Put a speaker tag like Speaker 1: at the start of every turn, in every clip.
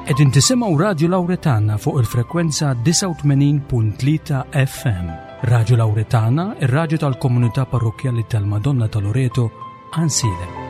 Speaker 1: Qegħdin tisimgħu Radju Lawretana fuq il-frekwenza 89.3 FM. Radju Lawretana, ir-radju tal-komunità parrokkjali tal-Madonna ta' Loreto, Għansielem.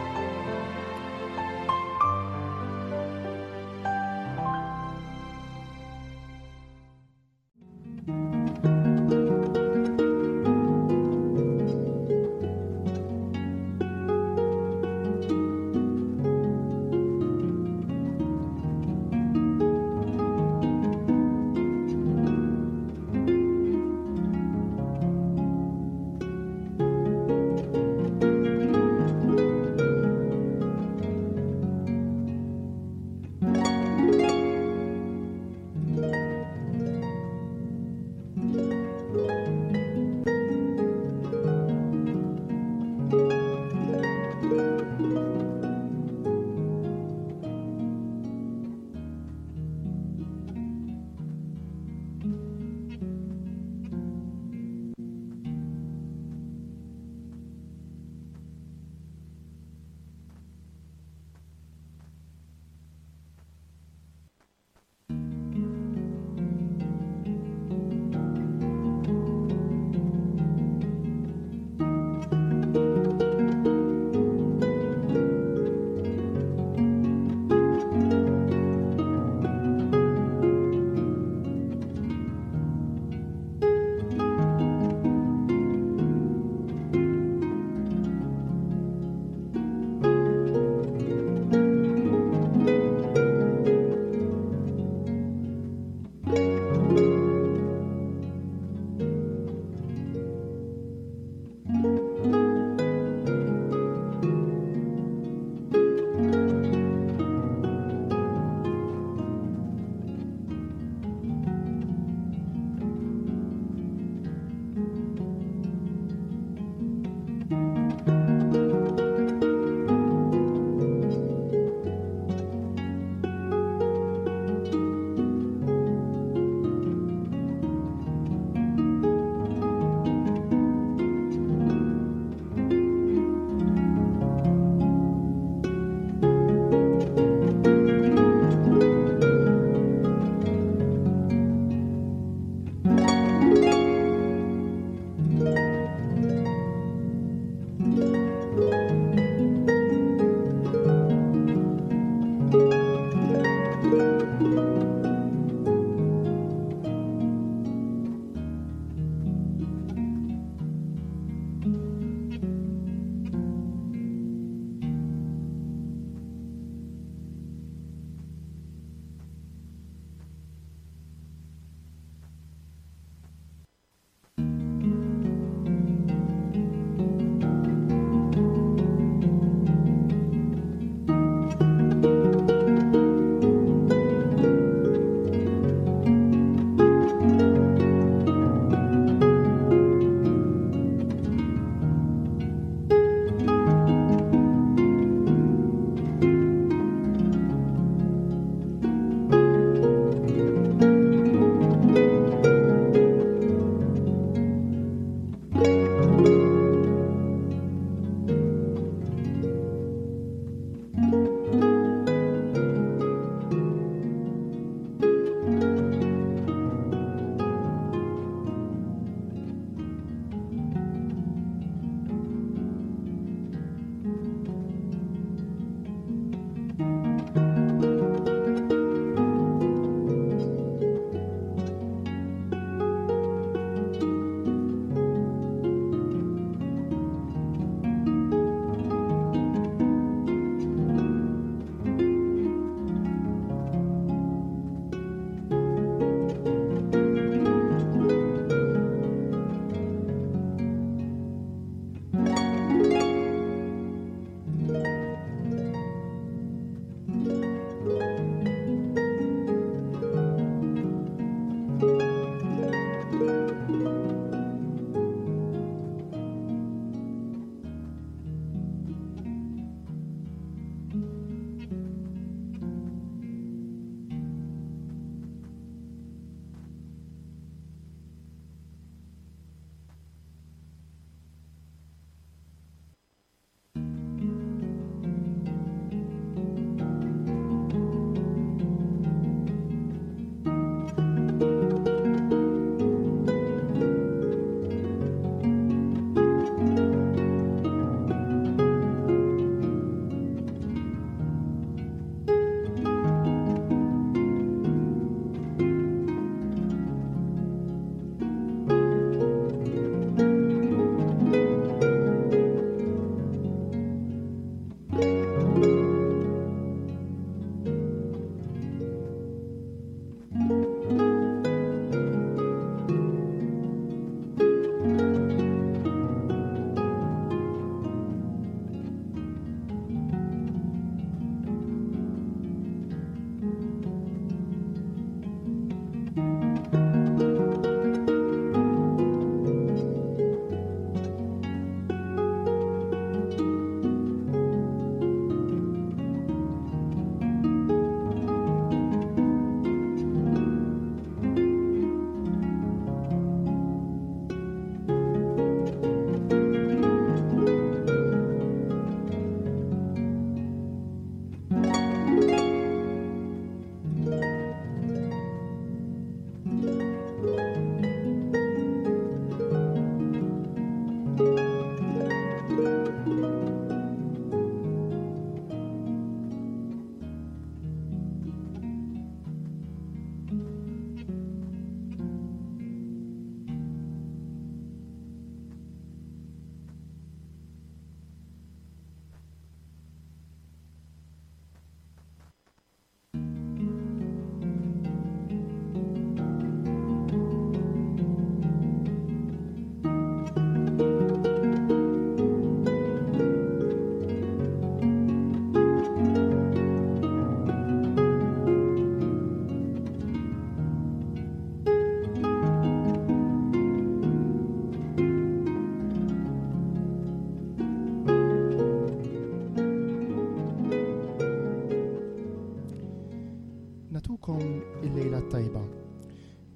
Speaker 2: t-tajba.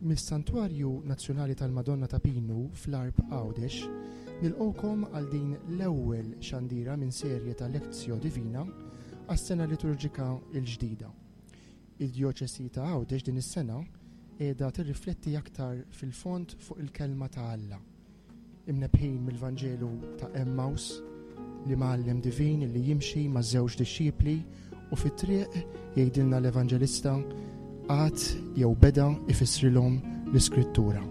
Speaker 2: Mis-Santwarju Nazzjonali tal-Madonna ta' Pinu fl-Għarb Għawdex, nilqgħukom għal din l-ewwel xandira minn serje ta' Lectio Divina għas-sena liturġika l-ġdida. Id-Djoċesi ta' Għawdex din is-sena qiegħda tirrifletti aktar fil-fond fuq il-Kelma ta' Alla. Imnebbħin mill-Vanġelu ta' Emmaus, l-Imgħallem divin li jimxi ma' żewġ dixxipli u fit-triq jgħidilna l-Evanġelista qagħad jew beda ifissrilhom l-Iskrittura.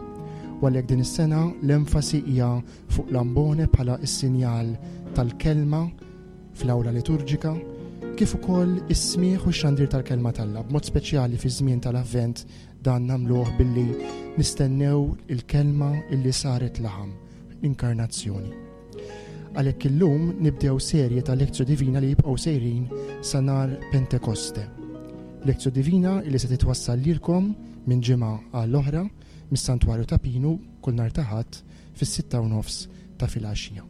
Speaker 2: U għalhekk din is-sena l-enfasi hija fuq l-ambone bħala s-sinjal tal-kelma fl-awla liturġika, kif ukoll is-smigħ u x-xandir tal-kelma t'Alla, b'mod speċjali fiż-żmien tal-Avvent Dan nagħmluh billi nistennew il-Kelma illi saret laħam, l-Inkarnazzjoni. Għalhekk illum nibdew serje ta' Lectio Divina li jibqgħu sejrin sa nhar Pentekoste. Lectio Divina illi se titwassal lilkom minn ġimgħa għal oħra mis-Santwarju ta' Pinu kull nhar ta' Ħadd fis-6 u nofs ta' filgħaxija.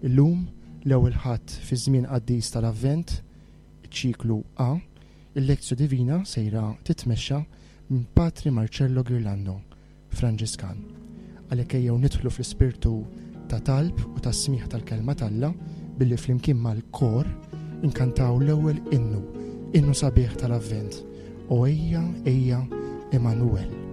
Speaker 2: Illum l-ewwel Ħadd fiż-żmien qaddis tal-Avvent, ċiklu A, Il-Lectio Divina sejra titmexxa minn Patri Marcello Ghirlando, Franġiskan. Għalhekk ejjew nidħlu fl-ispirtu ta' talb u ta' smigħ tal-Kelma t'Alla billi flimkien mal-kor inkantaw l-ewwel innu, innu sabiħ tal-Avvent, O ejja, ejja, Emanuel.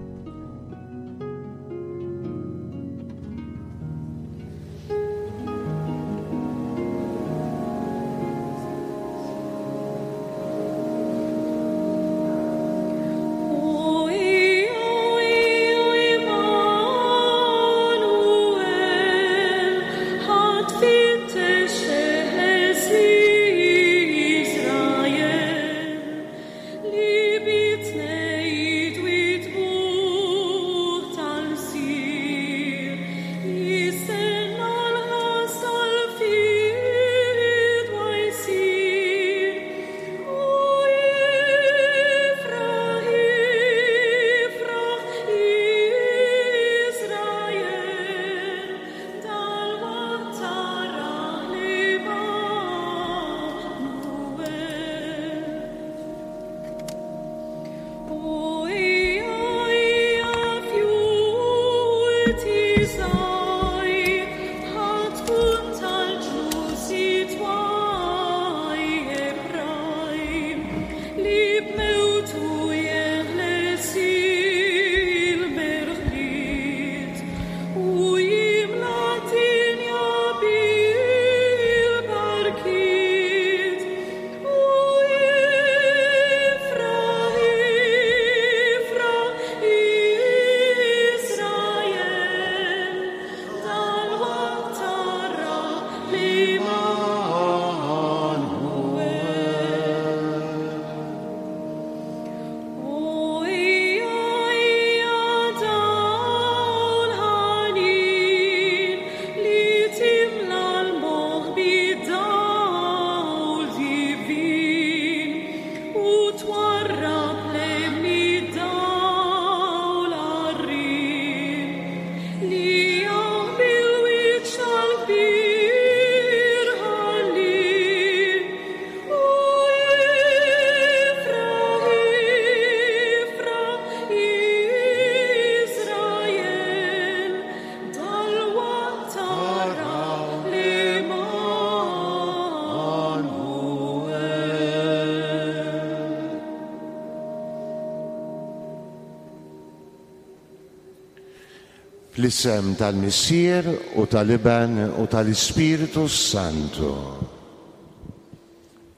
Speaker 3: Fl-isem tal-Missier u tal-Iben u tal-Ispirtu Santu.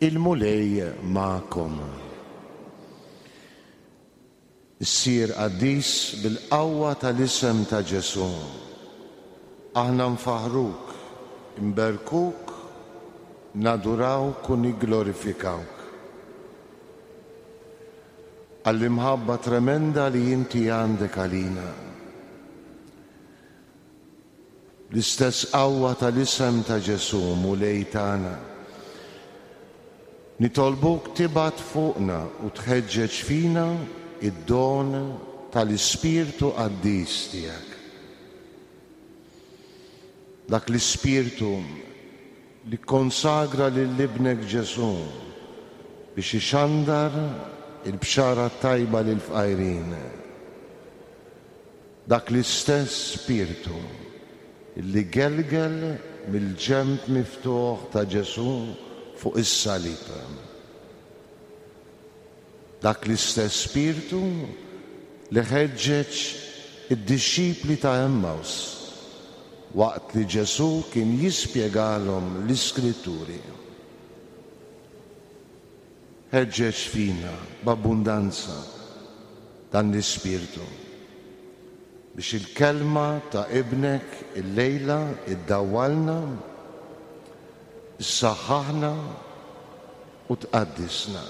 Speaker 3: Il-Mulej magħkom. Issir qaddis bil-qawwa tal-isem ta' Ġesù. Aħna nfaħħruk, inberkuk, nadurawk u nigglorifikawk. Għall-imħabba tremenda li inti għandek għalina. L-istess qawwa tal-isem ta' Ġesù, Mulej tagħna. Nitolbuk tibgħat fuqna u tħeġġeġ fina id-don tal-Ispirtu Qaddis tiegħek. Dak l-Ispirtu li kkonsagra lil Ibnek Ġesù biex ixandar. il-Bxara t-Tajba lill-fqajrin. Dak l-istess Spirtu li gelgel mill-ġenb miftuħ ta' Ġesù fuq is-salib. Dak l-istess Spirtu li ħeġġeġ id-dixxipli ta' Għemmaws waqt li Ġesù kien jispjegalhom l-Iskritturi. Ħeġġeġ fina b'abbundanza dan l-Ispirtu biex il-Kelma ta' Ibnek illejla ddawwalna, issaħħaħna u tqaddisna.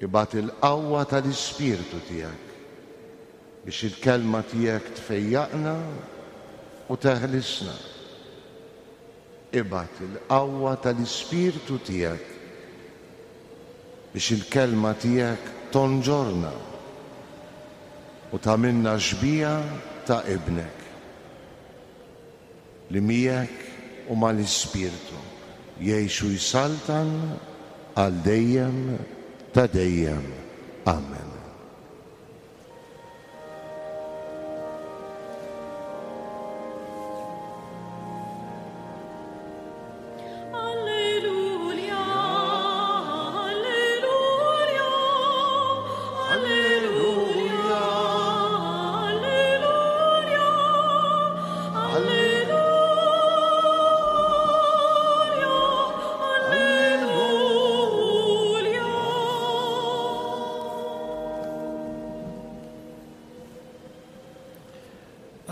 Speaker 3: Ibgħat il-qawwa tal-Ispirtu tiegħek biex il-Kelma tiegħek tfejjaqna u teħlisna. Ibgħat il-qawwa tal-Ispirtu tiegħek biex il-Kelma tiegħek tonġorna u tagħmilna xbieha ta' Ibnek, li miegħek u mal-Ispirtu jgħix u jsaltan għal dejjem ta' dejjem. Amen.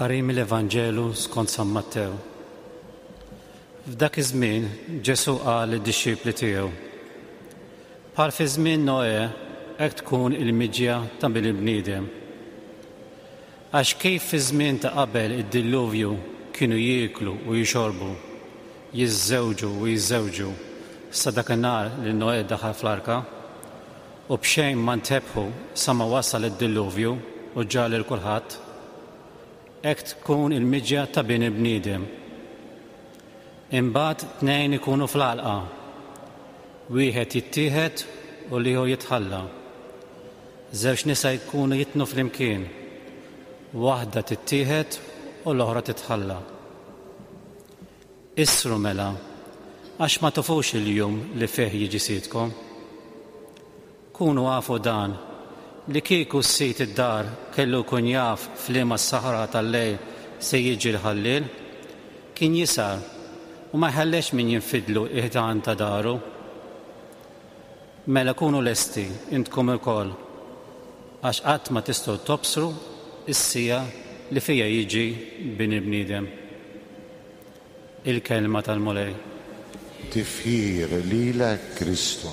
Speaker 4: Qari mill-Evanġelu skont San Mattew. F'dak iż-żmien Ġesù qal lid-dixxipli tiegħu, Bħal fi żmien Noè, hekk tkun il-miġja ta' Bin il-bniedem. Għax kif fi żmien ta' qabel id-dilluvju kienu jieklu u jixorbu, jiżżewġu u jiżżewġu sa dakinhar li Noè daħal fl-arka, u b'xejn ma ntebħu sa ma wasal id-dilluvju u ġarr lil kulħadd, hekk tkun il-miġja ta' Bin il-bniedem. Imbagħad tnejn ikunu fl-għalqa, wieħed jittieħed u l-ieħor jitħalla. Żewġ nisa jkunu jitnu flimkien, waħda tittieħed u l-oħra titħalla. Issru mela, għax ma tafux il-jum li fih jiġi Sidkom. Kunu afu dan, li kieku s-sid id-dar kellu jkun jaf f'liema sahra tal-lejl se jiġi l-ħalliel, kien jisgħar u ma jħallex min jinfidlu l-ħitan ta' daru. Mela kunu lesti intkom ilkoll, għax qatt ma tistgħu tobsru s-siegħa li fiha jiġi Bin il-bniedem. Il-Kelma tal-Mulej.
Speaker 3: Tifħir lilek Kristu.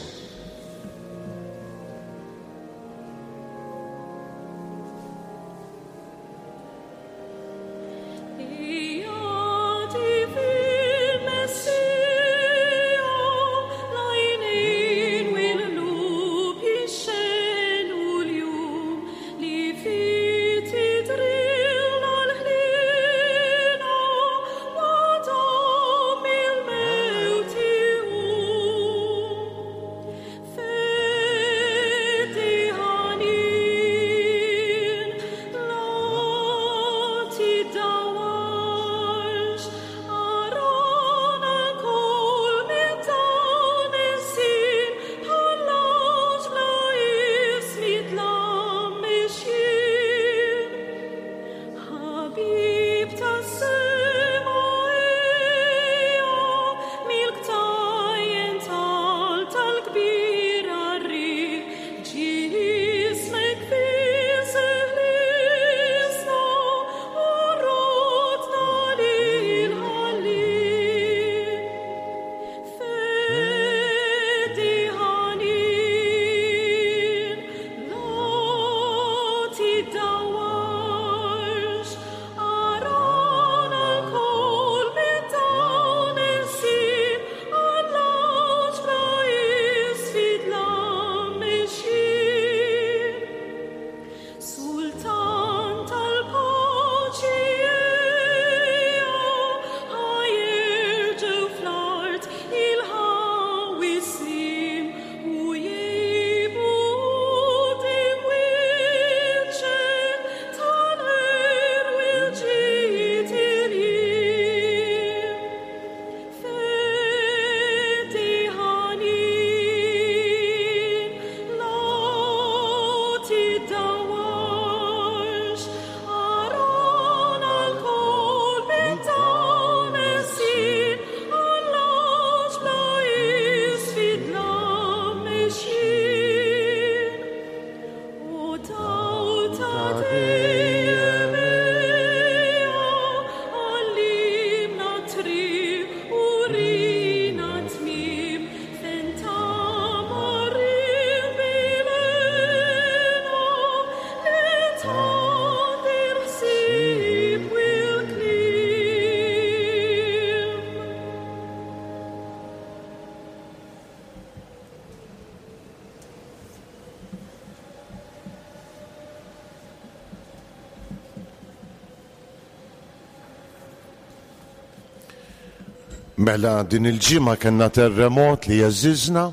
Speaker 3: Mela din il-ġimgħa kellna terremot li heżżiżna,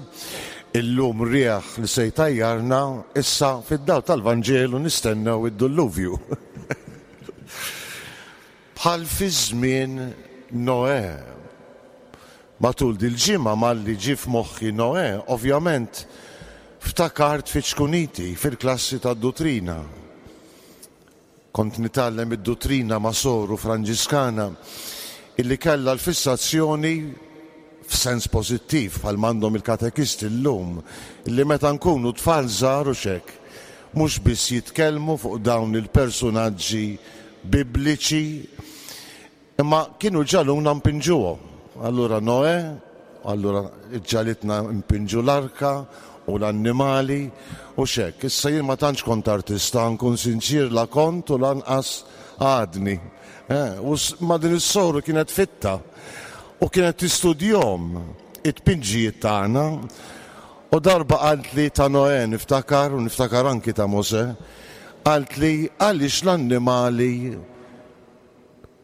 Speaker 3: illum riħ li se jtajjarna, issa fid-dawl tal-Vanġelu nistennew id-dulluvju. Bħal fi żmien Noè. Matul dil-ġimgħa malli ġie f'moħħi Noè, ovvjament ftakart fi ċkuniti fil-klassi tad-duttrina. Kont nitgħallem id-duttrina ma' soru Franġiskana illi kellha l-fissazzjoni, f'sens pożittiv bħalma għandhom il-katekisti llum, illi meta nkunu tfal żgħar u x'hekk, mhux biss jitkellmu fuq dawn il-persunaġġi Bibliċi, Imma kienu ġagħluna npinġuhom. Allura Noè, allura ġagħlitna npinġu l-arka u l-annimali u x'hekk. Issa jien ma tantx kont artista, nkun sinċier la kont u lanqas għadni. Eh, u ma din is-soru kienet fitta u kienet tistudjhom it-tpinġijiet tagħna. U darba qaltli ta' Noè niftakar u niftakar anki ta' Mosè, qaltli għaliex l-annimali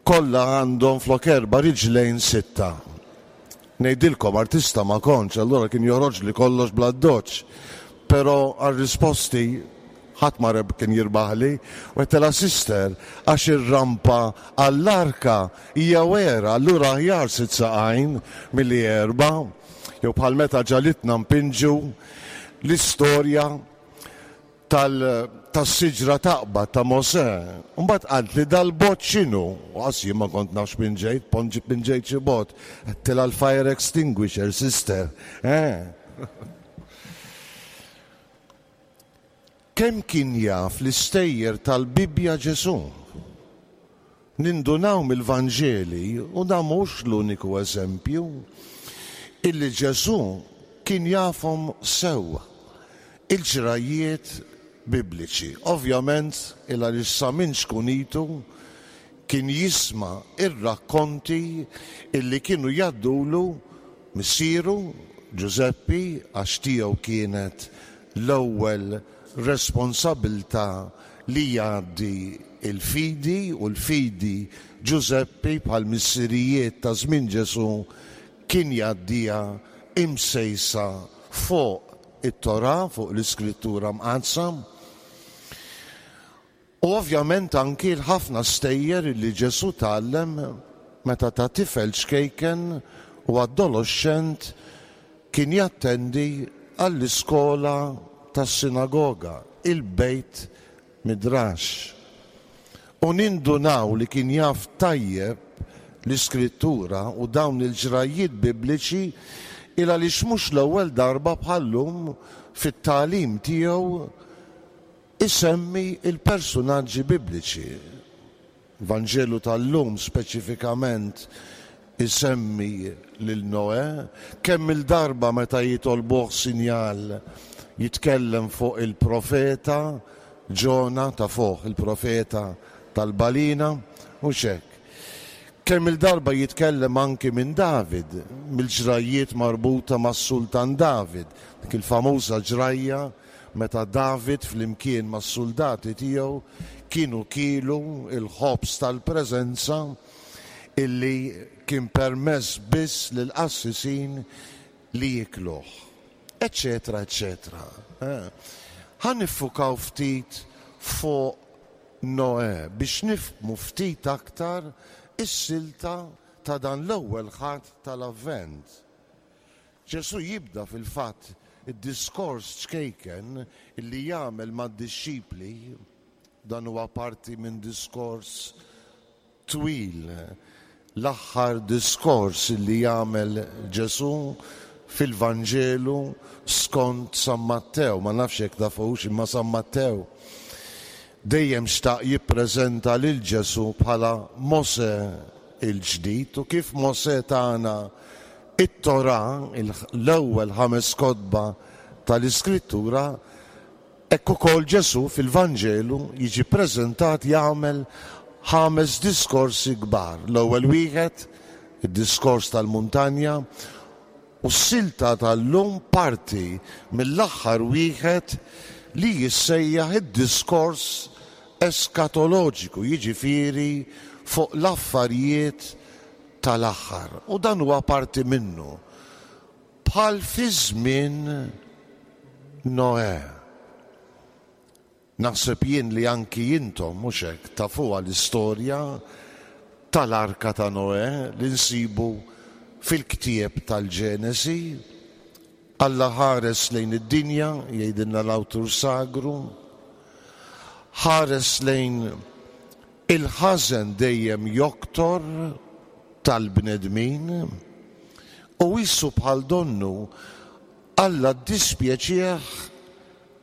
Speaker 3: Kollha għandhom flok erba' riġlejn sitta. Ngħidilkom, artista ma kontx, allura kien joħroġli kollox bl-addoċċ. Però għar-risposti ħadd ma kien jirbaħli. U għedtilha, Sister, għax ir-rampa għall-arka hija wera, allura aħjar sitt saqajn milli erba'. Jew bħal meta ġagħlitna npinġu l-istorja tal tas-siġra taqbad ta' Mosè. Mbagħad qaltli dal-bott x'inhu? U qas jien ma kont naf x'pinġejt, ponġi pinġejt xi bott. Għedtilha l-fire extinguisher, sister. Eh. Kemm kien jaf l-istejjer tal-Bibbja Ġesù? Nindunaw mill-Vanġeli, u dan mhux l-uniku eżempju, illi Ġesù kien jafhom sew il-ġrajjiet Bibliċi. Ovvjament, il għaliex sa minn ċkunitu kien jisma' r-rakkonti illi kienu jgħaddulu missieru, Ġużeppi, għax tiegħu kienet l-ewwel responsabilità li jgħaddi l-fidi, u l-fidi Ġużeppi, bħal missirijiet ta' żmien Ġesù, kien jgħaddiha imsejsa fuq it-Torah, fuq l-Iskrittura Mqaddsa. U ovvjament anki l-ħafna stejjer li Ġesù tgħallem meta ta' tifel ċkejken u adoloxxent kien jattendi għall-iskola tas-sinagoga, il-Beit Midrash. U nindunaw li kien jaf tajjeb l-Iskrittura u dawn il-ġrajjiet Bibliċi il għaliex mhux l-ewwel darba bħal-lum fit-tagħlim tiegħu Isemmi l-persunaġġi Bibliċi. L-Vanġelu tal-lum speċifikament isemmi lil Noè. Kemm-il darba meta jitolbuh sinjal jitkellem fuq il-profeta Ġona, tafuh, il-profeta tal-balina, mhux hekk? Kemm-il darba jitkellem anki minn David, mill-ġrajjiet marbuta mas-Sultan David, dik il-famuża ġrajja meta David flimkien mas-suldati tiegħu kienu kielu l-ħobż tal-preżenza illi kien permess biss lill-qassisin li jiekluh, eċċetera eċċetera. Ħa niffukaw ftit fuq Noè biex nifhmu ftit aktar is-silta ta' dan l-ewwel Ħadd tal-Avvent. Ġesù jibda fil-fatt id-diskors ċkejken li jagħmel mad-dixxipli, dan huwa parti minn diskors twil, l-aħħar diskors li jagħmel Ġesù fil-Vanġelu skont San Mattew. Ma nafx jekk tafux imma San Mattew dejjem xtaq jippreżenta lil Ġesù bħala Mosè il-ġdid u kif Mosè tana It-Torah, l-ewwel ħames kotba tal-Iskrittura, hekk ukoll Ġesù fil-Vanġelu jiġi ppreżentat jagħmel ħames diskorsi kbar. L-ewwel wieħed, id-diskors tal-muntanja, u s-silta tal-lum parti mill-aħħar wieħed li jissejjaħ id-diskors eskatoloġiku, jiġifieri fuq l-affarijiet. tal-aħħar. U dan huwa parti minnu. Bħal fi żmien Noè. Naħseb jien li anki intom, mhux hekk, tafuha l-istorja tal-Arka ta' Noè li nsibu fil-ktieb tal-Ġenesi. Alla ħares lejn id-dinja, jgħidilna l-awtur sagru, ħares lejn il-ħażen dejjem joktor tal-bnedmin u qisu bħal donnu Alla ddispjaċih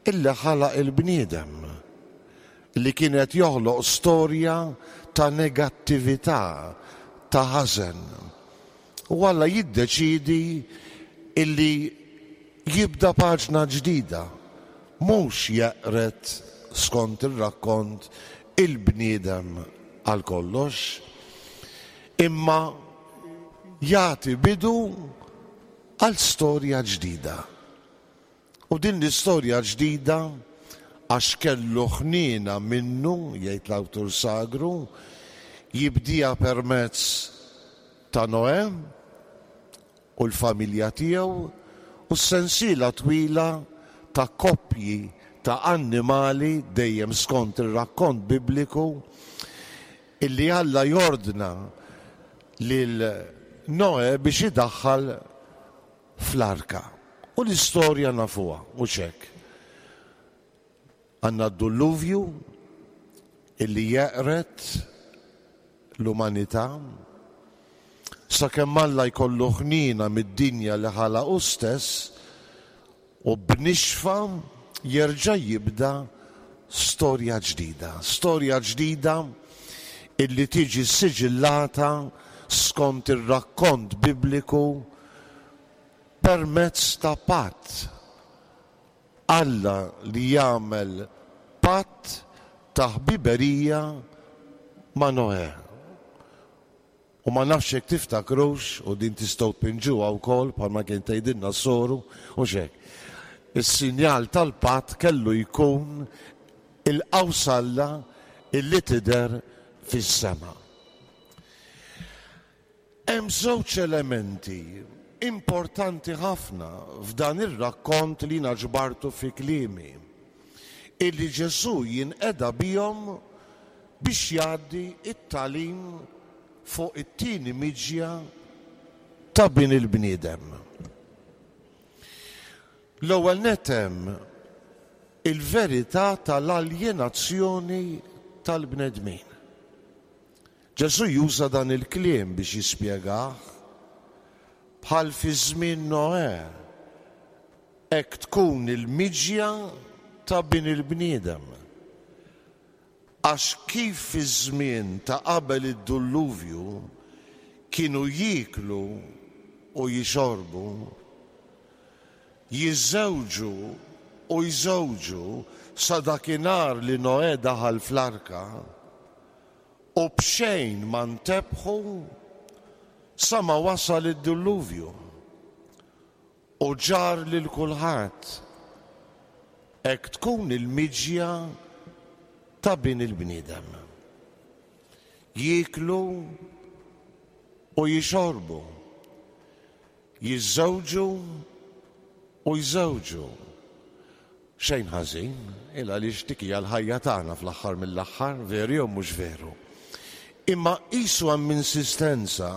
Speaker 3: illi ħalaq il-bniedem, li kien qed joħloq storja ta' negattività, ta' ħażen. U Alla jiddeċiedi illi jibda paġna ġdida, mhux jeqred, skont ir-rakkont, il-bniedem għal kollox, imma jagħti bidu għal storja ġdida. U din l-istorja ġdida, għax kellu ħniena minnu, jgħid l-awtur sagru, jibdieha permezz ta' Noè u l-familja tiegħu u s-sensiela twila ta' koppji ta' annimali, dejjem skont ir-rakkont Bibliku, illi Alla jordna lil Noè biex idaħħal fl-arka. U l-istorja nafuha, mhux hekk? Għandna d-dulluvju illi jeqred l-umanità sakemm Alla jkollu ħniena mid-dinja li ħalaq hu stess u b'nixfa jerġa' jibda storja ġdida. Storja ġdida illi tiġi ssiġillata skont ir-rakkont Bibliku permezz ta' patt. Alla li jagħmel patt ta' ħbiberija ma' Noè. U ma nafx jekk tiftakrux, u din tistgħu tpinġuha wkoll bħalma kien tgħidilna s-soru, hux hekk. Is-sinjal tal-patt kellu jkun il-qawsalla illi tidher fis-sema. Hemm żewġ elementi importanti ħafna f'dan ir-rakkont li jiena ġbartu fi kliemi, illi Ġesù jinqeda bihom biex jgħaddi t-tagħlim fuq it-tieni miġja ta' Bin il-bniedem. L-ewwel nett hemm il-verità tal-aljenazzjoni tal-bnedmin. Ġesù juża dan il-kliem biex jispjegah, Bħal fi żmien Noè, hekk tkun il-miġja ta' Bin il-bniedem. Għax kif fiż-żmien ta' qabel id-dulluvju kienu jieklu u jixorbu, jiżżewġu u jżewġu sa dakinhar li Noè daħal fl-arka, U b'xejn ma ntebħu sa ma wasal id-dulluvju u ġarr lil kulħadd. Hekk tkun il-miġja ta' Bin il-bniedem. Jieklu u jixorbu, jiżżewġu u jżewġu. Xejn ħażin, il għaliex dik hija l-ħajja tagħna fl-aħħar mill-aħħar, veru jew mhux veru. Imma qisu hemm insistenza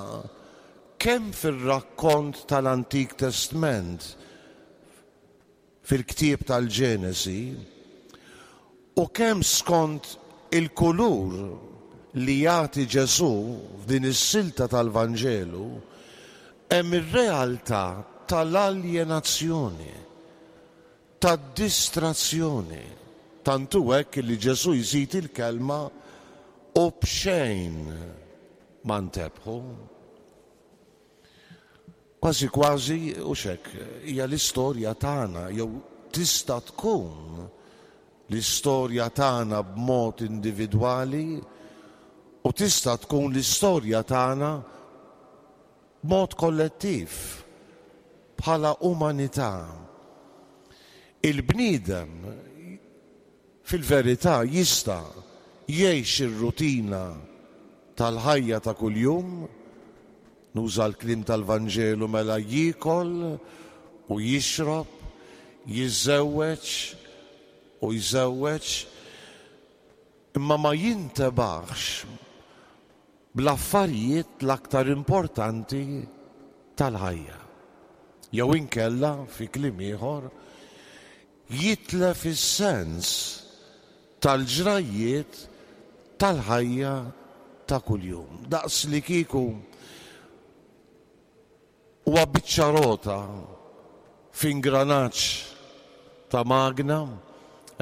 Speaker 3: kemm fir-rakkont tal-Antik Testment, fil-ktieb tal-Ġenesi, u kemm skont il-kulur li jagħti Ġesù f'din is-silta tal-Vanġelu, hemm ir-realtà tal-aljenazzjoni, tad-distrazzjoni. Tant hu hekk li Ġesù jżid il-kelma u b'xejn ma ntebħu. Kważi kważi, hux hekk, hija l-istorja tagħna jew tista' tkun l-istorja tagħna b'mod individwali u tista' tkun l-istorja tagħna b'mod kollettiv bħala umanità. Il-bniedem fil-verità jista' jgħix ir-rutina tal-ħajja ta' kuljum. Nuża l-kliem tal-Vanġelu mela jiekol u jixrob, jiżżewweġ u jżewweġ, imma ma jintebaħx bl-affarijiet l-aktar importanti tal-ħajja. Jew inkella, fi kliem ieħor, jitlef is-sens tal-ġrajjiet tal-ħajja ta' kuljum. Daqs li kieku huwa biċċa rota f'ingranaġġ ta' magna,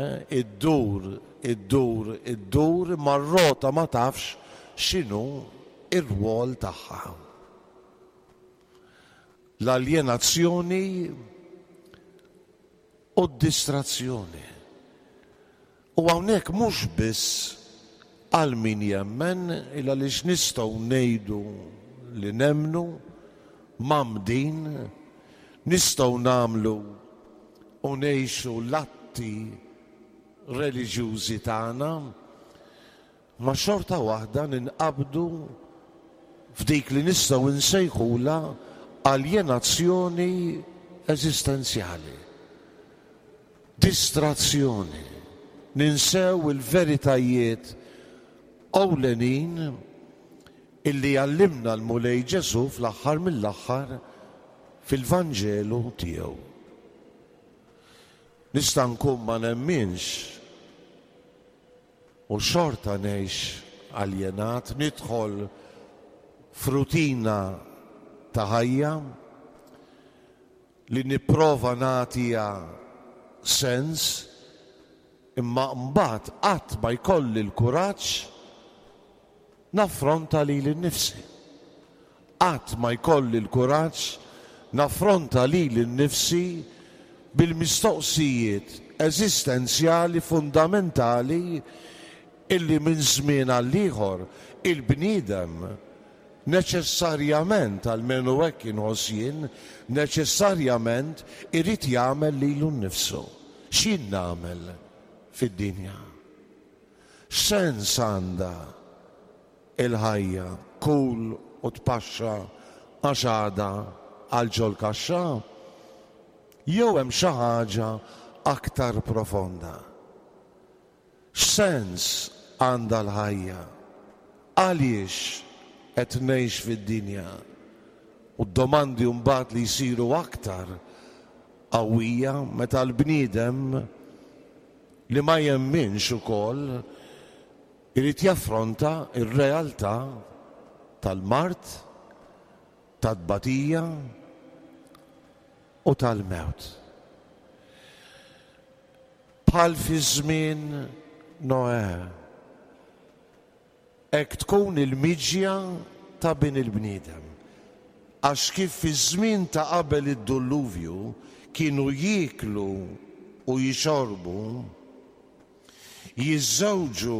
Speaker 3: eh, iddur, iddur, iddur, imma r-rota ma tafx x'inhu r-rwol tagħha. L-aljenazzjoni u d-distrazzjoni. U hawnhekk mhux biss għal min jemmen, il għaliex nistgħu ngħidu li nemmnu, mgħammdin, nistgħu nagħmlu u ngħixu l-atti reliġjużi tagħna, Ma xorta waħda ninqabdu f'dik li nistgħu nsejħulha aljenazzjoni eżistenzjali, distrazzjoni, ninsew il-veritajiet ewlenin illi għallimna l-Mulej Ġesù fl-aħħar mill-aħħar fil-Vanġelu tiegħu. Nista' nkun ma nemminx U xorta ngħix aljenat, nidħol f'rutina ta' ħajja li nipprova nagħtiha sens, imma mbagħad qatt ma jkolli l-kuraġġ naffronta lili nnifsi. Qatt ma jkolli l-kuraġġ naffronta lili nnifsi bil-mistoqsijiet eżistenzjali fundamentali illi minn żmien għall-ieħor il-bniedem neċessarjament, almenu hekk inħoss jien, neċessarjament irid jagħmel lilu nnifsu. X'jien nagħmel fid-dinja? X'sens għandha il-ħajja? Kul u tpaxxa għax għada għal ġol-kaxxa? Jew hemm xi ħaġa aktar profonda? X'sens għandha l-ħajja? Għaliex qed ngħix fid-dinja? U d-domandi mbagħad li jsiru aktar qawwija meta l-bniedem li ma jemminx ukoll irid jaffronta r-realtà tal-mard, tat-tbatija u tal-mewt. Bħal fi żmien Noè, Hekk tkun il-miġja ta' Bin il-bniedem. Għax kif fiż-żmien ta' qabel id-dulluvju kienu jieklu u jixorbu, jiżżewġu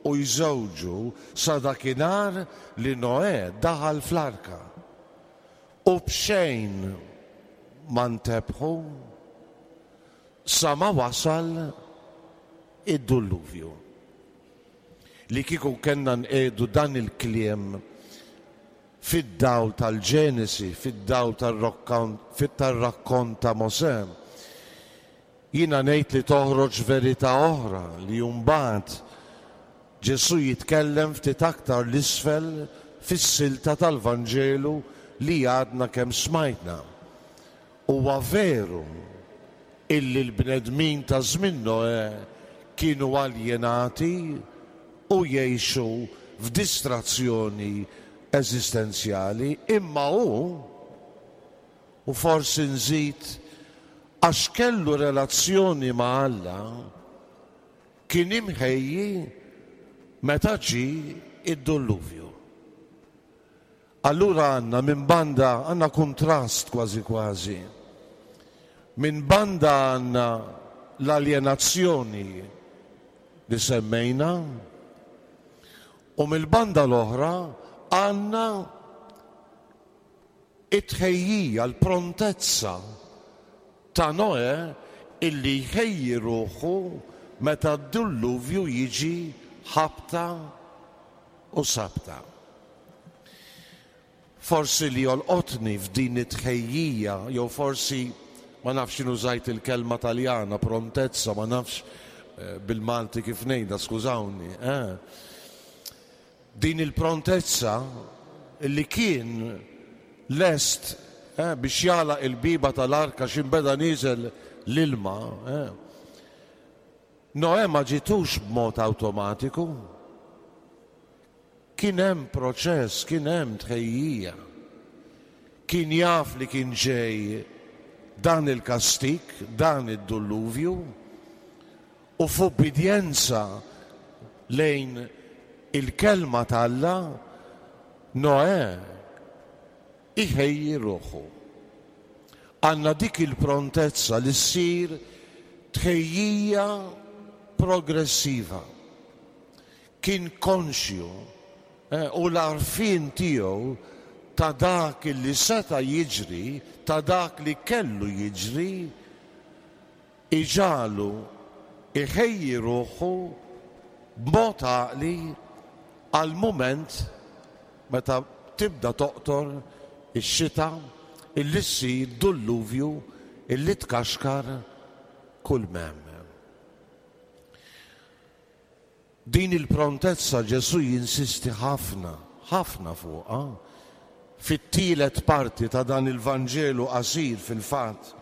Speaker 3: u jżewġu sa dakinhar li Noè daħal fl-arka, u b'xejn ma ntebħu sa ma wasal id-dulluvju. Li kieku kellna nqiegħdu dan il-kliem fid-dawl tal-Ġenesi, fid-dawl tar-rakkont ta' Mosè, jiena ngħid li toħroġ verità oħra li mbagħad Ġesù jitkellem ftit aktar 'l isfel fis-silta tal-Vanġelu li għadna kemm smajtna. Huwa veru illi l-bnedmin ta' żmien Noè kienu aljenati u jgħixu f'distrazzjoni eżistenzjali, imma hu, u forsi nżid għax kellu relazzjoni ma' Alla, kien imħejji meta ġie d-dulluvju. Allura għandna minn banda għandna kuntrast kważi kważi. Minn banda għandna l-aljenazzjoni li semmejna u mill-banda l-oħra għandna it-tħejjija, l-prontezza ta' Noè illi jħejji ruħu meta d-dulluvju jiġi ħabta u sabta. Forsi li jolqotni f'din it-tħejjija jew forsi ma nafx jien użajt il-kelma Taljana prontezza ma nafx eh, bil-Malti kif ngħidha skużawni. Eh. Din il-prontezza li kien lest eh, biex jagħlaq il-bieba tal-arka x'inbeda nieżel l-ilma. Eh. Noè ma ġietux b'mod awtomatiku. Kien hemm proċess, kien hemm tħejjija. Kien jaf li kien ġej dan il-kastig, dan id-dulluvju, u f'ubbidjenza lejn il-kelma t'Alla, Noè iħejji ruħu. Għandna dik il-prontezza li ssir tħejjija progressiva. Kien konxju u l-għarfien tiegħu ta' dak li seta' jiġri, ta' dak li kellu jiġri, iġagħlu jħejji ruħu b'mod għaqli għall-mument meta tibda toqtor ix-xita illi ssir dulluvju illi tkaxkar kull m'hemm. Din il-prontezza Ġesù jinsisti ħafna, ħafna fuqha. Fit-tielet parti ta' dan il-Vanġelu qasir fil-fatt,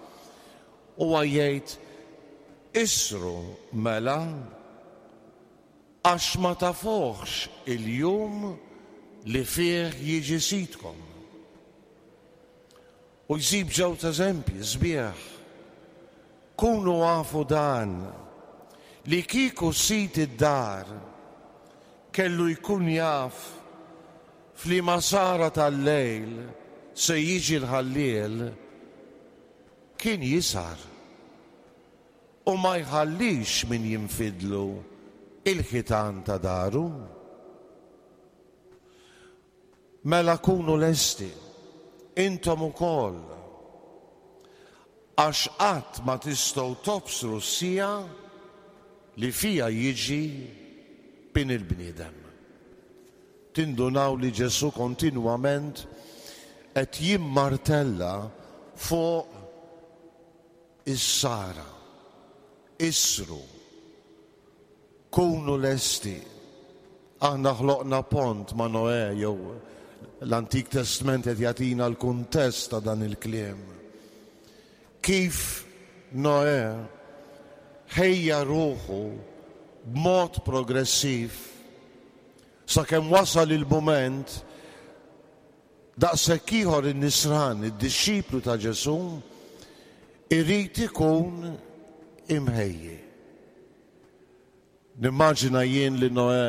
Speaker 3: huwa jgħid, Isru mela, għax ma tafuhx il-jum li fih jiġi Sidkom. U jżib ġewt eżempji sbieħ. Kunu afu dan, li kieku sid id-dar kellu jkun jaf f'liema sahra tal-lejl se jiġi l-ħalliel, kien jisahar u ma jħallix min jinfidlu l-ħitan ta' daru. Mela kunu lesti, intom ukoll, għax qatt ma tistgħu tobsru s-siegħa li fiha jiġi Bin il-bniedem. Tindunaw li Ġesù kontinwament qed jimmartella fuq is-sara. Isru. Kunu lesti. Aħna ħloqna pont ma' Noè jew l-Antik Testment qed jagħtina l-kuntest ta' dan il-kliem. Kif Noè ħejja ruħu b'mod progressiv sakemm wasal il-mument daqshekk ieħor in-nisrani, id-dixxiplu ta' Ġesù, irid ikun imħejji. Nimmaġina jien li Noè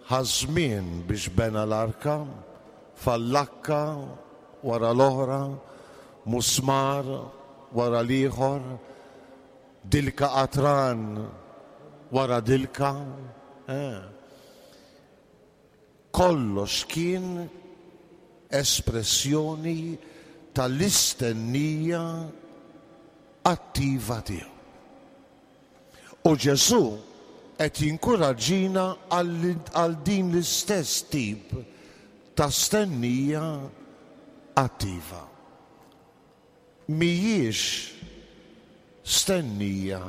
Speaker 3: ħa żmien biex bena l-arka, fallakka wara l-oħra, musmar wara l-ieħor, dilka qatran wara dilka. Eh. Kollox kien espressjoni tal-istennija attiva tiegħu. U Ġesù qed jinkuraġġina għal din l-istess tip ta' stennija attiva. Mhijiex stennija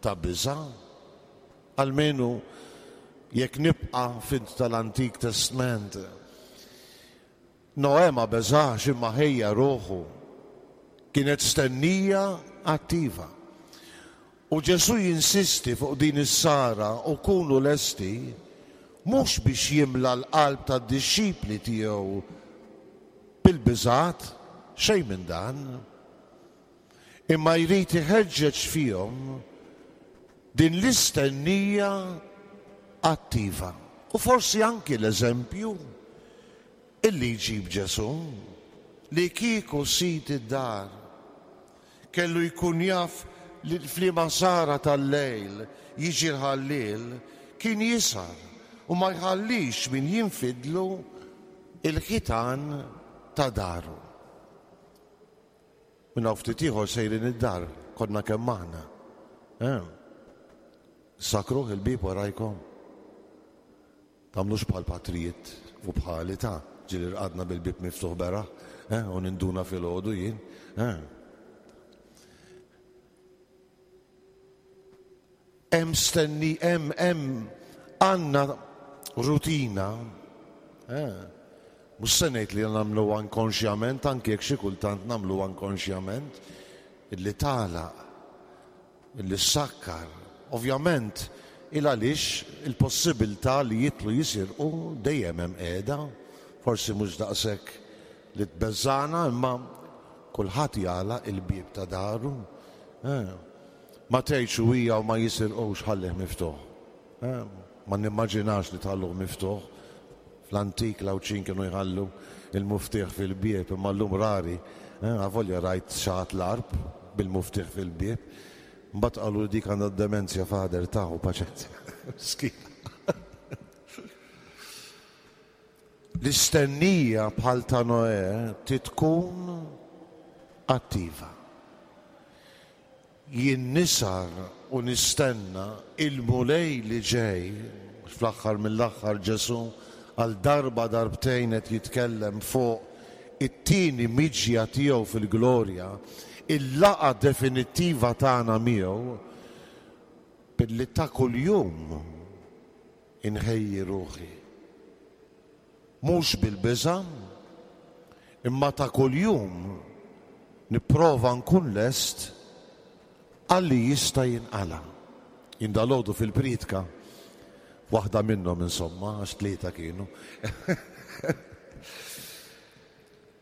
Speaker 3: ta' biża', almenu jekk nibqa' fint tal-Antik Testment. Noè ma beżax imma ħejja ruħu. Kienet stennija attiva. U Ġesù jinsisti fuq din is-sara u kunu lesti mhux biex jimla l-qalb tad-dixxipli tiegħu bil-biżgħat, xejn minn dan, imma jrid iħeġġeġ fihom din l-istennija attiva. U forsi anki l-eżempju illi jġib Ġesù, li kieku sid id-dar kellu jkun jaf li f'liema sahra tal-lejl jiġi l-ħalliel, kien jisahar u ma jħallix min jinfidlu l-ħitan ta' daru. Minn hawn ftit ieħor sejrin id-dar, konna kemm aħna. Eh? Sakruh il-bieb warajkom. Tagħmlux bħal patrijiet u bħali ta'. Ġieli rqadna bil-bieb miftuħ beraħ, eh, u ninduna filgħodu jien. Eh. Hemm stenni, hemm hemm għandna rutina. Eh. Mhux se ngħid li nagħmluha inkonxjament, anki jekk xi kultant nagħmluha inkonxjament, illi tagħlaq, illi ssakkar. Ovvjament, il għaliex il-possibilità li jidħlu jisirqu dejjem hemm qiegħda, forsi mhux daqshekk li tbeżżagħna imma kulħadd jagħlaq il-bieb ta' daru. Eh. Ma tgħidx u hija u ma jisirqux ħallih miftuħ. Eh, ma nimmaġinax li tħalluh miftuħ. Fl-antik l-Għawdxin kienu jħallu il-muftieħ fil-bieb imma llum rari. Eh, avolja rajt xi ħadd l-Għarb bil-muftieħ fil-bieb. Mbagħad qalu li dik għandha d-demenzja father taħu paċenzja. Miskina. L-istennija bħal ta' Noè trid tkun attiva. Jien nisar u nistenna il-Mulej li ġej, għax fl-aħħar mill-aħħar Ġesù għal darba darbtejn qed jitkellem fuq it-tieni miġja tiegħu fil-glorja, il-laqgħa definittiva tagħna miegħu, billi ta' kuljum inħejji ruħi. Mhux bil-biża', imma ta' kuljum nipprova nkun lest għal li jista' jinqala'. Jien dalgħodu fil-prietka, waħda minnhom insomma, għax tlieta kienu,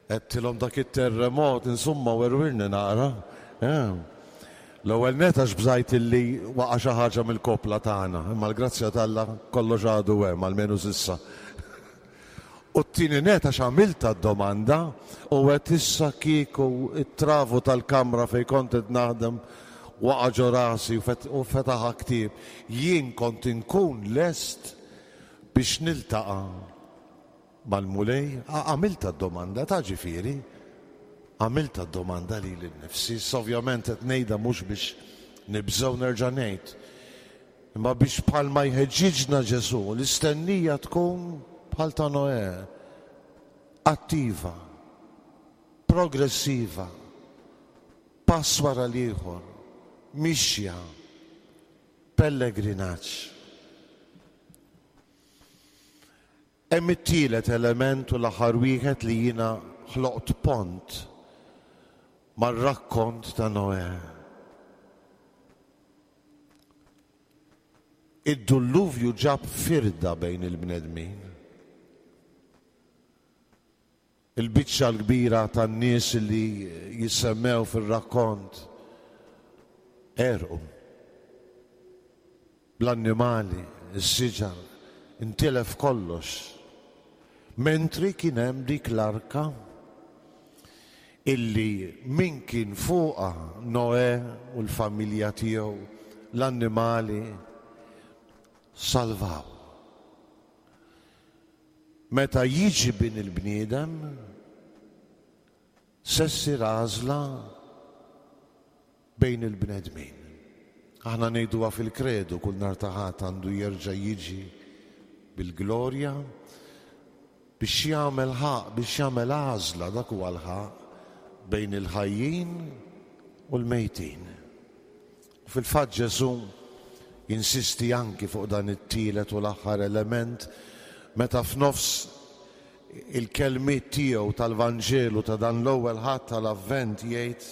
Speaker 3: Għedtilhom dak it-terremot, insomma werwirni naqra. L-ewwel nett għax bżajt illi waqa' xi ħaġa mill-koppla tagħna, imma l-grazzja t'Alla kollox għadu hemm, almenu s'issa. U t-tieni nett għax għamiltha d-domanda u għedt issa kieku t-travu tal-kamra fejn kont qed naħdem waqa' ġo rasi u fetaħha ktieb, jien kont inkun lest biex niltaqa' Mal-Mulej? Għamiltha d-domanda, ta' ġifieri. Għamiltha d-domanda lili nnifsi. Issa ovvjament qed ngħidha mhux biex nibża' u nerġa' ngħid, imma biex bħalma jħeġġiġna Ġesù, l-istennija tkun bħal ta' Noè, attiva, progressiva, pass wara l-ieħor, mixja, pellegrinaġġ. Hemm it-tielet element u l-aħħar wieħed li jiena ħloqt pont mar-rakkont ta' Noè. Id-dulluvju ġab firda bejn il-bnedmin. Il-biċċa l-kbira tan-nies li jissemmew fir-rakkont għerqu. Bl-annimali, is-siġar, intilef kollox. Mentri kien hemm dik l-arka illi min kien fuqha, Noè u l-familja tiegħu, l-annimali, salvaw. Meta jiġi Bin il-bniedem, se ssir għażla bejn il-bnedmin. Aħna ngħiduha fil-Kredu kull nhar ta' Ħadd għandu jerġa' jiġi bil-glorja biex jagħmel ħaqq, biex jagħmel għażla, dak huwa l-ħaqq, bejn il-ħajjin u l-mejtin. U fil-fatt Ġesù jinsisti anki fuq dan it-tielet u l-aħħar element meta f'nofs il-kelmiet tiegħu tal-Vanġelu ta' dan l-ewwel Ħadd tal-Avvent jgħid,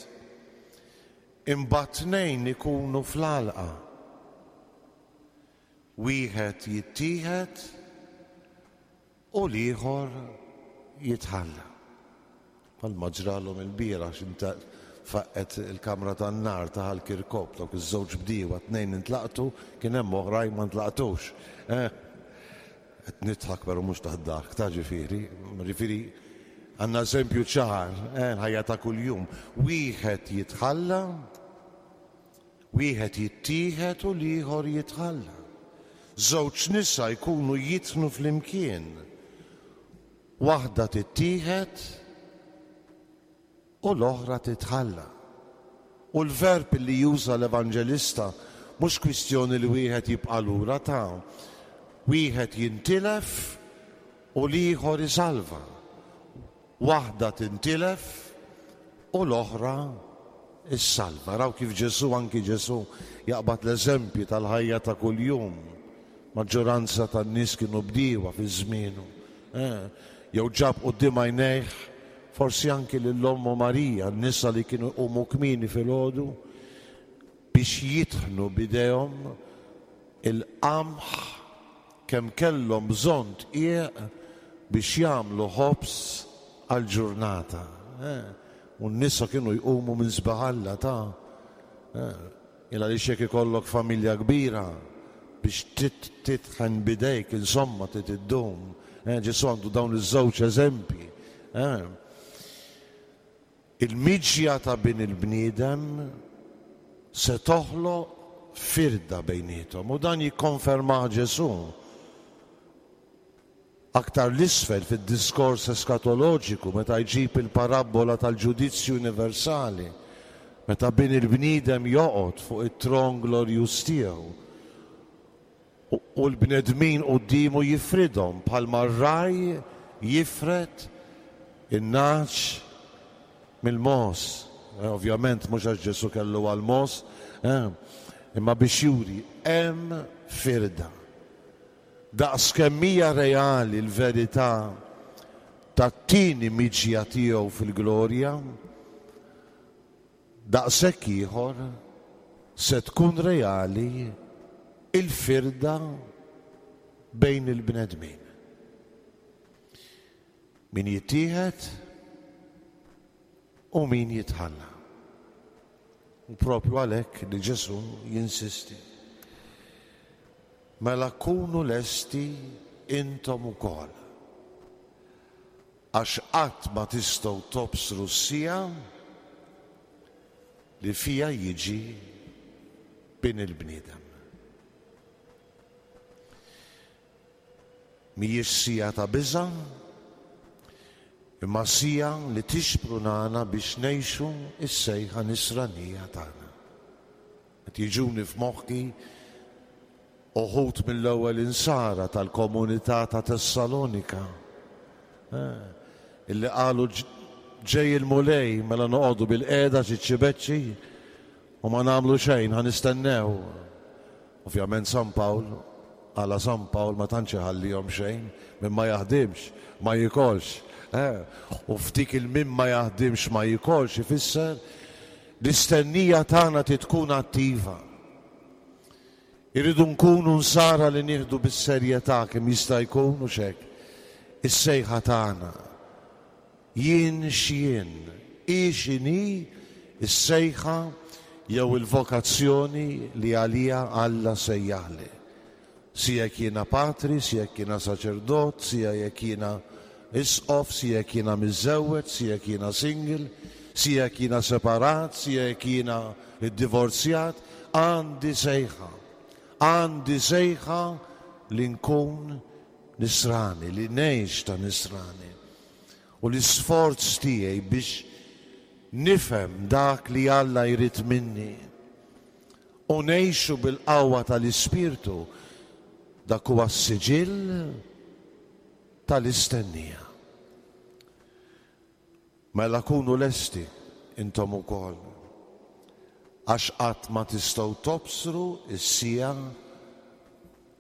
Speaker 3: Imbagħad tnejn ikunu fl-għalqa, wieħed jittieħed U l-ieħor jitħalla. Bħalma ġralhom ilbieraħ x'inta faqqgħet il-kamra tan-nar ta' Ħal Kirkop, dawk iż-żewġ bdiewa tnejn intlaqtu, kien hemm oħrajn ma ntlaqtux. Eh! Qed nidħak però mhux tad-daħk, ta' ġifieri, ġifieri għandna eżempju ċar, eh, l-ħajja ta' kuljum. Wieħed jitħalla, Wieħed jittieħed u l-ieħor jitħalla. Żewġ nisa jkunu jitħnu flimkien. Waħda tittieħed u l-oħra titħalla. U l-verb li juża l-evanġelista mhux kwistjoni li wieħed jibqa' lura ta' wieħed jintilef u l-ieħor isalva. Waħda tintilef u l-oħra ssalva. Araw kif Ġesù, anki Ġesù, jaqbad l-eżempji tal-ħajja ta' kuljum. Maġġoranza tan-nies kienu bdiewa fi żmienu. Jew ġab quddiem għajnejh forsi anki lil ommu Marija, n-nisa li kienu jqumu kmieni filgħodu biex jitħnu b'idejhom il-qamħ kemm kellhom bżonn dqiq biex jagħmlu ħobż għall-ġurnata. U n-nisa kienu jqumu minn sbaħ Alla ta'. Il għaliex jekk ikollok familja kbira biex titħen b'idejk insomma trid iddum. Ġesù għandu dawn iż-żewġ eżempji. Il-miġja ta' Bin il-bniedem se toħloq firda bejniethom u dan jikkonfermah Ġesù aktar 'l isfel fid-diskors eskatoloġiku meta jġib il-parabbola tal-ġudizzju universali meta Bin il-bniedem joqgħod fuq it-tron glorjuż tiegħu U l-bnedmin quddiemu jifridhom bħalma r-ragħaj jifred in-nagħaġ mill-mogħoż. Ovvjament mhux għax Ġesù kellu għall-mogħoż, imma biex juri hemm firda. Daqs kemm hija reali l-verità tat-tieni miġja tiegħu fil-glorja, Daqshekk ieħor se tkun reali l-firda bejn il-bnedmin. Min jittieħed u min jitħalla. U propju għalhekk li Ġesù jinsisti. Mela kunu lesti intom ukoll. Għax qatt ma tistgħu tobsru s-siegħa li fiha jiġi Bin il-bniedem. Mhijiex siegħa ta' biża', imma siegħa li tixprunana biex ngħixu s-sejħa nisranija tagħna. Qed jiġuni f'moħħi uħud mill-ewwel insara tal-komunità ta' Tessalonika, illi qalu ġej il-Mulej mela noqogħdu bilqiegħda ċiċċi beċċi u ma nagħmlu xejn ħa nistennew. Ovvjament San Pawl, għala San Pawl ma tantx iħallihom xejn, min ma jaħdimx ma jikolx. U f'dik il-min ma jaħdimx ma jikolx ifisser L-istennija tagħna trid tkun attiva. Irridu nkunu nsara li nieħdu bis-serjetà kemm jista' jkun, hux hekk, is-sejħa tagħna. Jien x'jien, hi x'inhi s-sejħa jew il-vokazzjoni li għaliha Alla sejjaħli. Sia jekk jiena patri, sia jekk jiena saċerdot, sia jekk jiena isqof, sia jekk jiena miżżewweġ, sia jekk jiena single, sia jekk jiena separat, sia jekk jiena ddivorzjat, għandi sejħa. Għandi sejħa li nkun nisrani, li ngħix ta' nisrani. U l-isforz tiegħi biex nifhem dak li Alla jrid minni u ngħixu bil-qawwa tal-Ispirtu, dak huwa s-siġill tal-istennija. Mela kunu lesti intom ukoll, għax qatt ma tistgħu tobsru s-siegħa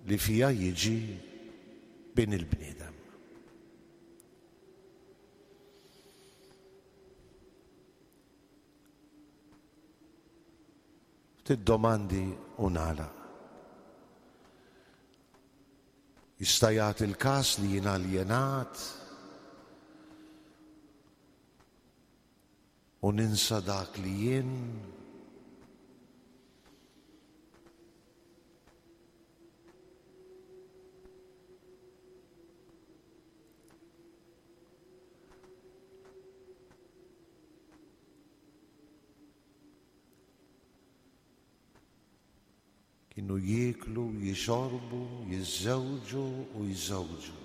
Speaker 3: li fiha jiġi Bin il-bniedem. Ftit domandi u nagħlaq. Jista' jagħti l-każ li jien aljenat u ninsa dak li jien? Kienu jieklu, jixorbu, jiżżewġu u jżewġu.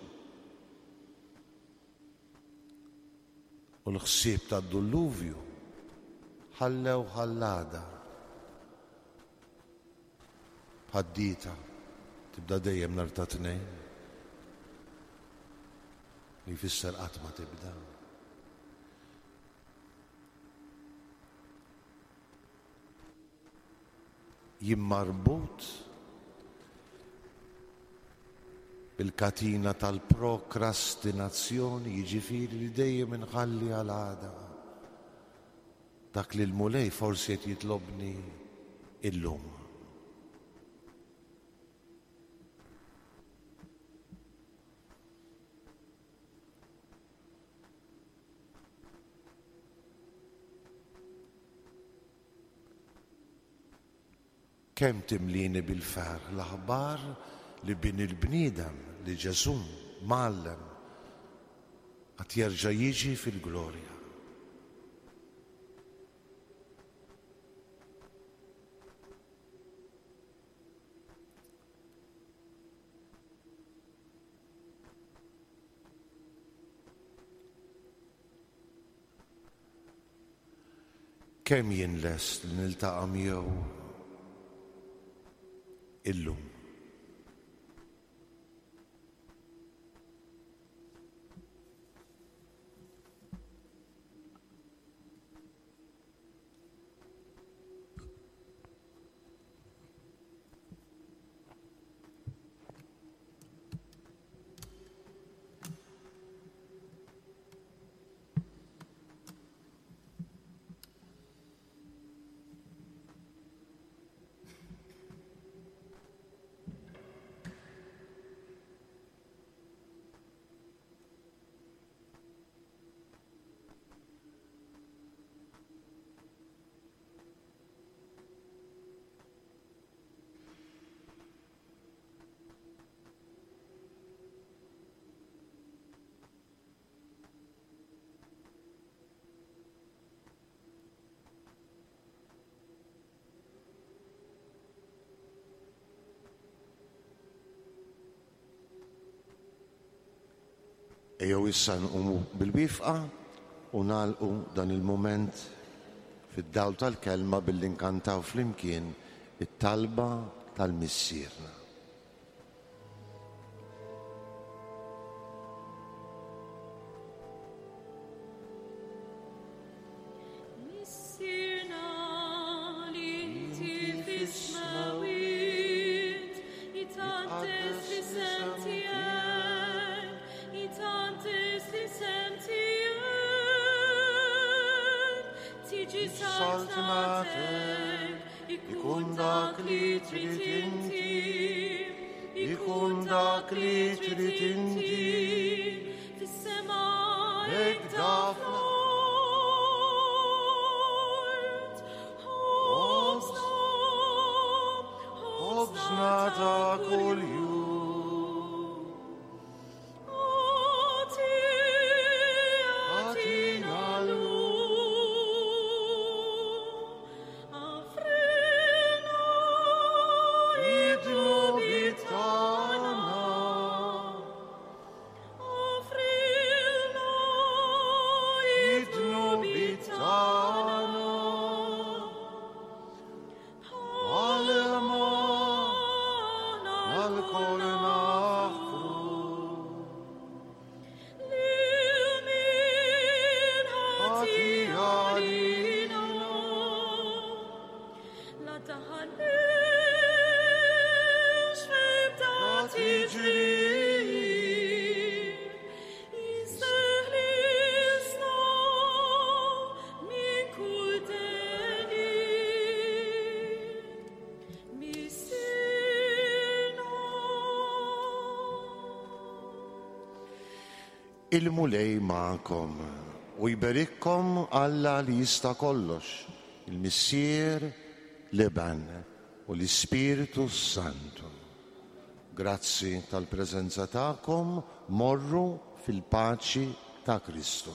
Speaker 3: U l-ħsieb tad-dulluvju ħallew ħallada. Bħad-dieta tibda dejjem nhar ta' Tnejn, li jfisser qatt ma tibda. Jien marbut bil-katina tal-prokrastinazzjoni, jiġifieri li dejjem inħalli għal għada dak li l-Mulej forsi qed jitlobni illum. Kemm timlini bil-ferħ l-aħbar li Bin il-bniedem, li Ġesù, Mgħallem, għad jerġa' jiġi fil-glorja. Kemm jien lest li niltaqa' miegħu illum? Ejjew issa nqumu bil-wifqa u nagħlqu dan il-mument fid-dawl tal-Kelma billi nkantaw flimkien it-talba tal-Missierna.
Speaker 5: Missierna li inti fis-smewwiet, jitqaddes l-isem tiegħek, jitqaddes l-isem tiegħek. Tiġi saltnatek, ikun dak li trid inti, ikun dak li trid inti, fis-sema hekk fl-art. Ħobżna,
Speaker 3: Ħobżna ta' kuljum.
Speaker 5: Agħtina llum. Aħfrilna
Speaker 3: Id-dnubiet tagħna.
Speaker 5: Aħfrilna
Speaker 3: Id-dnubiet tagħna. Bħalma
Speaker 5: aħna
Speaker 3: lkoll naħfru.
Speaker 5: Lil min ħati
Speaker 3: Ħati
Speaker 5: għalina.
Speaker 3: għalina.
Speaker 5: La taħallix f'ebda
Speaker 3: La
Speaker 5: tiġrib, jisteħlisna minn kull deni. Missierna.
Speaker 3: Il-Mulej magħkom u jberikkom Alla li jista' kollox, il-Missier, l-Iben u l-Ispirtu Santu. Grazzi tal-preżenza tagħkom, morru fil-paċi ta' Kristu.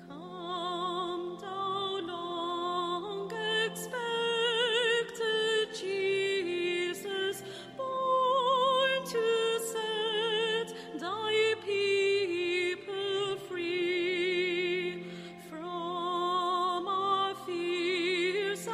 Speaker 5: Come, thou long expected Jesus, born to set thy people free from our fears.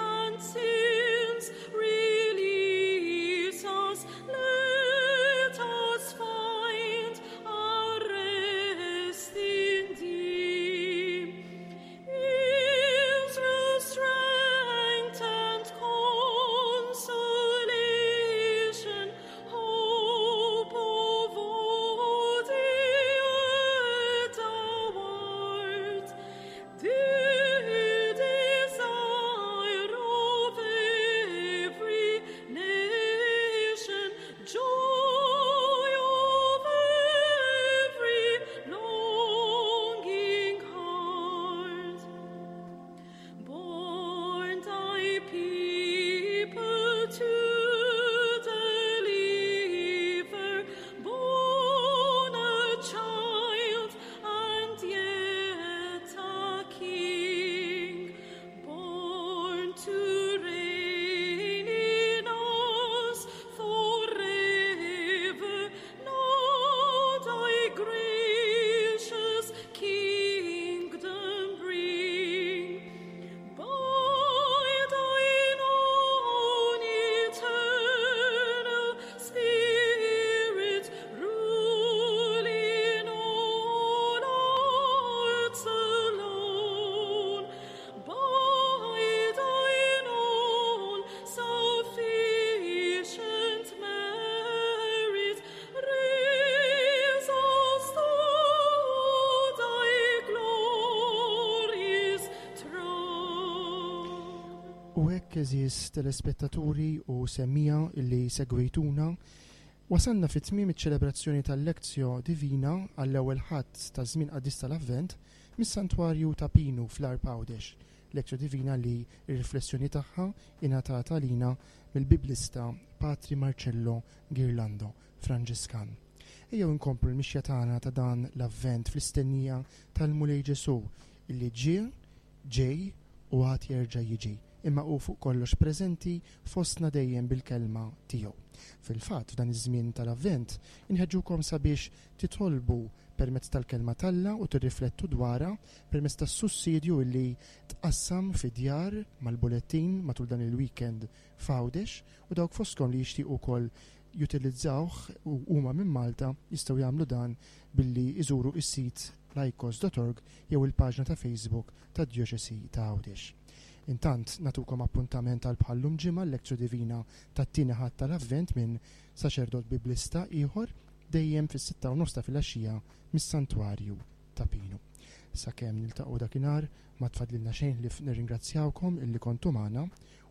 Speaker 2: U hekk għeżież telespettaturi u semmiegħa illi segwejtuna, wasalna fi tmiem iċ-ċelebrazzjoni tal-Lectio Divina għall-ewwel Ħadd taż-żmien qaddis tal-Avvent mis-Santwarju ta' Pinu fl-Għarb Għawdex, Lectio Divina li r-riflessjoni tagħha ingħatat għalina mill-Biblista Patri Marcello Ghirlando, Franġiskan. Ejjew inkomplu l-mixja tagħna ta' dan l-Avvent fl-istennija tal-Mulej Ġesù illi ġie, Ġej u għad jerġa' jiġi, imma hu fuq kollox preżenti fostna dejjem bil-kelma tiegħu. Fil-fatt, f'dan iż-żmien tal-Avvent, inħeġġukom sabiex titolbu permezz tal-Kelma t'Alla u tirriflettu dwarha permezz tas-sussidju illi tqassam fid-djar mal-bulettin matul dan il-weekend f'Għawdex u dawk fostkom li jixtiequ wkoll jutilizzawh u huma minn Malta jistgħu jagħmlu dan billi jżuru s-sit laikos.org jew il-paġna ta' Facebook tad-Djoċesi ta' Għawdex. Intant, nagħtukom appuntament għal bħal-lum ġimgħa l-Lectio Divina tat-tieni Ħadd tal-Avvent minn saċerdot biblista ieħor dejjem fis-sitta u nofs ta' filgħaxija mis-Santwarju ta' Pinu. Sakemm niltaqgħu dakinhar ma tfadlilna xejn ħlief nirringrazzjawkom illi kontu magħna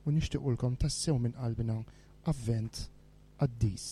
Speaker 2: u nixtiequlkom tassew minn qalbna Avvent qaddis.